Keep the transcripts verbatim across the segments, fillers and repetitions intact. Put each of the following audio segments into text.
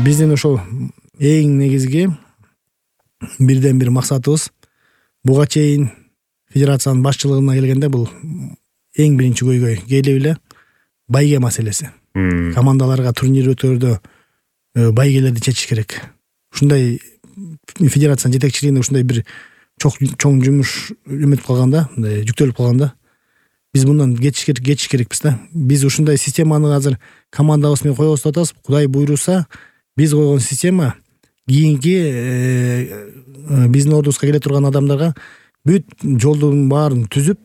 биздин ошол эң негизги бирден бир максатыбыз буга чейин федерациянын башчылыгына келгенде бул эң биринчи көйгөй келип эле байге маселеси. Командаларга турнир өткөрүүдө байгелерди чечиш керек. Ушундай федерациянын жетекчилигинде ушундай бир чоң жумуш эметип калганда, мындай жүктөлүп калганда биз мындан кетиш керек, кетиш керекпиз да. Биз ушундай системаны азыр командабыз менен коебуз деп атабыз. Кудай буйруса, биз койгон система кийинки биздин ордубузга келе турган адамдарга бүт жолдун баарын түзүп,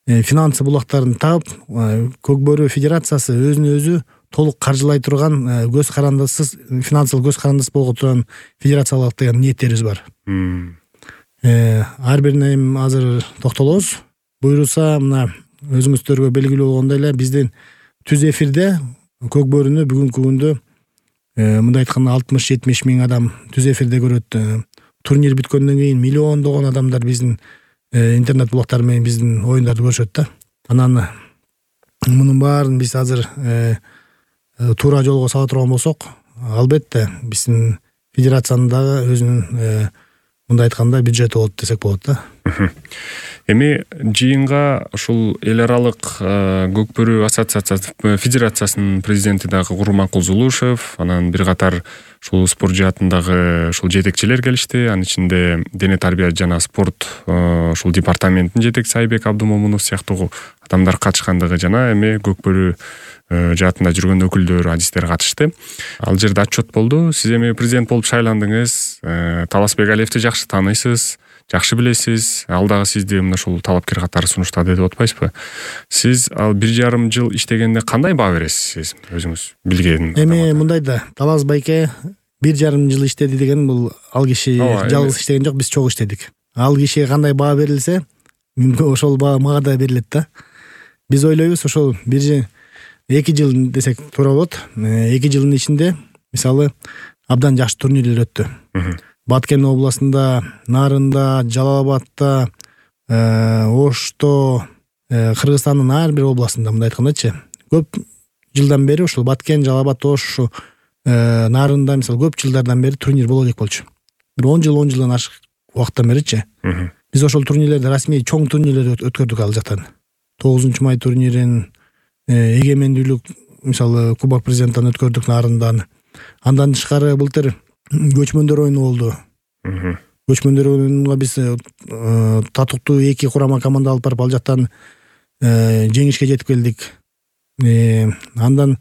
финансы булактарын таап, Көкбөрү федерациясы өзүнө өзү толук каржылай турган, көз карандысыз, финансылык көз карандысыз болго турган федерациялык деген ниеттерибиз бар. Ар бирине азыр токтолобуз. Буйруса, мына өзүңүздөргө белгилүү болгондой эле биздин түз эфирде Көкбөрүнү бүгүнкү күндө мындай айтканда алтымыш жетимиш миң адам түз эфирде көрөт. Турнир бүткөндөн кийин миллиондогон адамдар биздин интернет булактары менен биздин оюндарды көрүшөт да. Анан мунун баарын биз азыр туура жолго сала турган болсок, албетте биздин федерациянын дагы өзүнүн мындай айтканда бюджети болот десек болот да. Эми жыйынга ушул эл аралык Көкбөрү ассоциациясы федерациясынын президенти дагы Курманкул Зулушев, анан бир катар ушул спорт жаатындагы ушул жетекчилер келишти. Анын ичинде дене тарбия жана спорт ушул департаментинин жетекчиси Айбек Абдумомунов сыяктуу адамдар катышкандыгы жана эми Көкбөрү жаатында жүргөн өкүлдөр, адистер катышты. Ал жерде отчет болду. Сиз эми президент болуп шайландыңыз. Таласбек Алиевди жакшы тааныйсыз, жакшы билесиз. Ал дагы сизди мына ушул талапкер катары сунуштады деп атпайсызбы? Сиз ал бир жарым жыл иштегенде кандай баа бересиз өзүңүз билген? Эми мындай да, Талас байке бир жарым жыл иштеди деген бул ал киши жалгыз иштеген жок, биз чогуу иштедик. Ал кишиге кандай баа берилсе, ошол баа мага да берилет да. Биз ойлойбуз, ошол бир эки жыл десек туура болот. эки жылдын ичинде мисалы абдан жакшы турнирлер өттү. Баткен областында, Нарында, Жалал абадта, Ошто, Кыргызстандын ар бир областында мындай айткандачы, көп жылдан бери ушул Баткен, Жалал абад, Ош, Нарында мисалы көп жылдардан бери турнир боло элек болчу. Бир он жыл, он жылдан ашык убакыттан беричи. Биз ошол турнирлерди расмий чоң турнирлерди өткөрдүк ал жактан. тогузунчу май турнирин, эгемендүүлүк мисалы Кубок президенттен өткөрдүк Нарындан. Андан тышкары былтыр көчмөндөр оюну болду. Көчмөндөр оюнуна биз татыктуу эки курама команда алып барып ал жактан жеңишке жетип келдик. Андан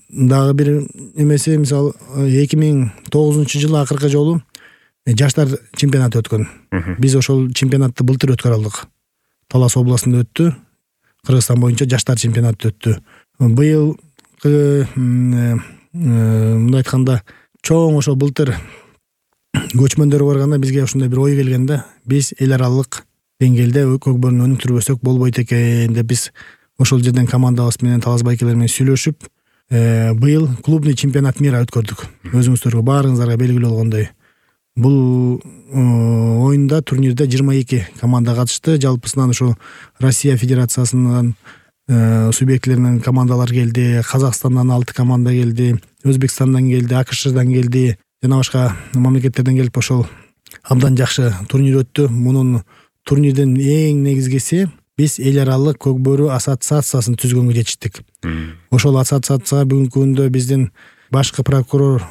дагы бир эмеси мисалы эки миң тогузунчу жылы акыркы жолу жаштар чемпионаты өткөн. Биз ошол чемпионатты былтыр өткөрө алдык. Талас областында өттү. Кыргызстан боюнча жаштар чемпионаты өттү. Быйыл мындай айтканда чоң ошо былтыр көчмөндөр барганда бизге ушундай бир ой келгенде, биз эл аралык деңгээлде Көкбөрүнү өнүктүрбөсөк болбойт экен деп биз ошол жерден командабыз менен Талас байкелер менен сүйлөшүп, быйыл клубный чемпионат мира өткөрдүк. Өзүңүздөргө баарыңыздарга белгилүү болгондой. Бул оюнда турнирде жыйырма эки команда катышты. Жалпысынан ушу Россия Федерациясынын субъектилеринен командалар келди, Казакстандан алты команда келди, Өзбекстандан келди, АКШдан келди, жана башка мамлекеттерден келип ошол абдан жакшы турнир өттү. Мунун турнирдин эң негизгиси биз эл аралык Көкбөрү ассоциациясын түзгөнгө жетиштик. Ошол ассоциацияга бүгүнкү күндө биздин башкы прокурор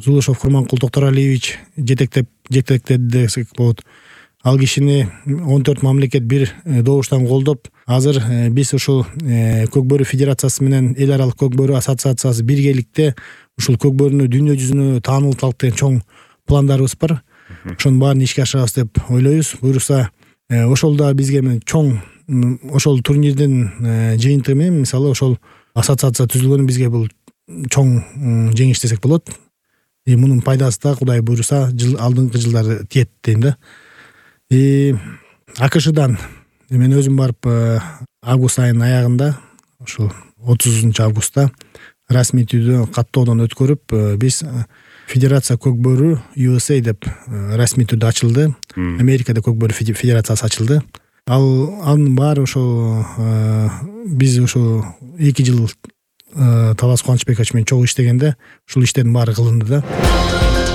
Зулушев Курманкул Токторалиевич жетектеп жетектеди десек болот. Ал кишини он төрт мамлекет бир добуштан колдоп, азыр биз ушул Көкбөрү федерациясы менен эл аралык Көкбөрү ассоциациясы биргеликте ушул Көкбөрүнү дүйнө жүзүнө таанылталык деген чоң пландарыбыз бар. Ошонун баарын ишке ашырабыз деп ойлойбуз. Буюрса, ошол да бизге чоң ошол турнирдин жыйынтыгы менен мисалы ошол ассоциация түзүлгөнү бизге бул чоң жеңиш десек болот. И мунун пайдасы да Кудай буйруса жыл алдыңкы жылдары тиет дейм да. И АКШдан мен өзүм барып август айынын аягында, ошол отузунчу августта расмий түрдө каттоодон өткөрүп, биз Федерация Көкбөрү ю эс эй деп расмий түрдө ачылды. Америкада Көкбөрү федерациясы ачылды. Ал анын баары ошо биз ошо эки жыл Талас Кубанычбекович менен чогуу иштегенде ушул иштердин баары кылынды да.